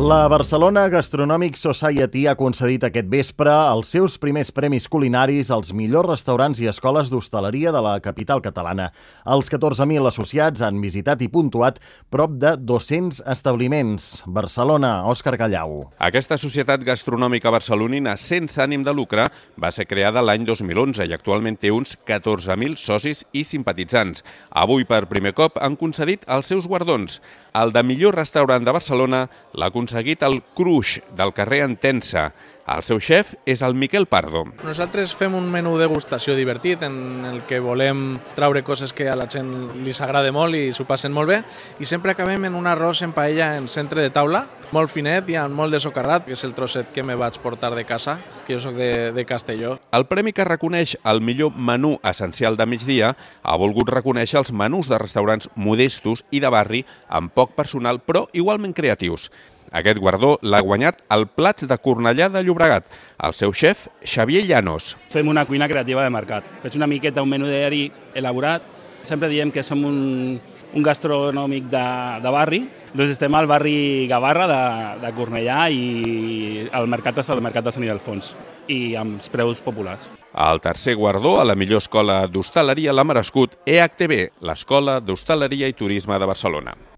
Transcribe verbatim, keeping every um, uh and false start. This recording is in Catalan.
La Barcelona Gastronomic Society ha concedit aquest vespre els seus primers premis culinaris als millors restaurants i escoles d'hostaleria de la capital catalana. Els catorze mil associats han visitat i puntuat prop de dos-cents establiments. Barcelona, Òscar Gallau. Aquesta societat gastronòmica barcelonina sense ànim de lucre va ser creada l'any dos mil onze i actualment té uns catorze mil socis i simpatitzants. Avui, per primer cop, han concedit els seus guardons. El de millor restaurant de Barcelona l'ha aconseguit el Cruix, del carrer Entença. El seu xef és el Miquel Pardo. Nosaltres fem un menú degustació divertit en el que volem traure coses que a la gent li s'agrada molt i s'ho passen molt bé, i sempre acabem en un arròs en paella en centre de taula, molt finet i amb molt de socarrat, que és el trosset que me vaig portar de casa, que jo soc de, de Castelló. El premi que reconeix el millor menú essencial de migdia ha volgut reconèixer els menús de restaurants modestos i de barri amb poc personal però igualment creatius. Aquest guardó l'ha guanyat el Plats de Cornellà de Llobregat, el seu xef, Xavier Llanos. Fem una cuina creativa de mercat. Faig una miqueta un menú diari elaborat. Sempre diem que som un, un gastronòmic de, de barri. Doncs estem al barri Gavarra de, de Cornellà i el mercat està al mercat de Sant Ildefons i amb els preus populars. El tercer guardó a la millor escola d'hostaleria l'ha merescut E H T B, l'Escola d'Hostaleria i Turisme de Barcelona.